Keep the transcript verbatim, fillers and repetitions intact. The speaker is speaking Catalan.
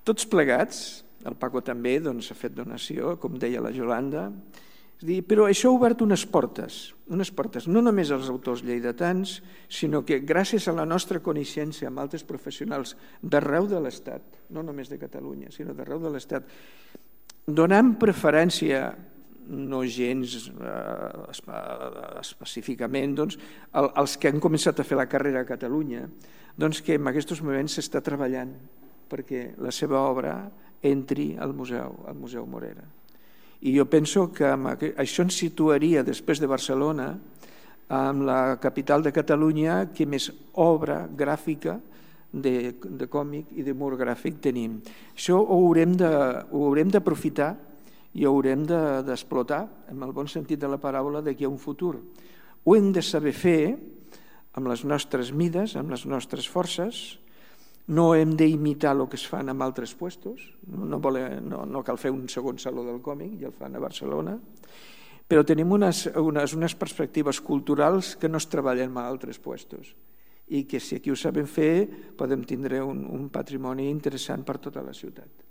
Tots plegats, el Paco també s'ha fet donació, com deia la Yolanda, però això ha obert unes portes, unes portes, no només als autors lleidatans, sinó que gràcies a la nostra coneixença amb altres professionals d'arreu de l'Estat, no només de Catalunya, sinó d'arreu de l'Estat, donant preferència, no gens específicament, als que han començat a fer la carrera a Catalunya, doncs que en aquests moments s'està treballant perquè la seva obra entri al museu, al Museu Morera. I jo penso que això ens situaria després de Barcelona amb la capital de Catalunya que més obra gràfica de còmic i de mur gràfic tenim. Això ho haurem d'aprofitar i ho haurem d'explotar, en el bon sentit de la paraula, d'aquí a un futur. Ho hem de saber fer amb les nostres mides, amb les nostres forces. No hem d'imitar el que es fan en altres puestos, no cal fer un segon saló del còmic, ja el fan a Barcelona, però tenim unes perspectives culturals que no es treballen en altres puestos i que si aquí ho sabem fer podem tindre un patrimoni interessant per tota la ciutat.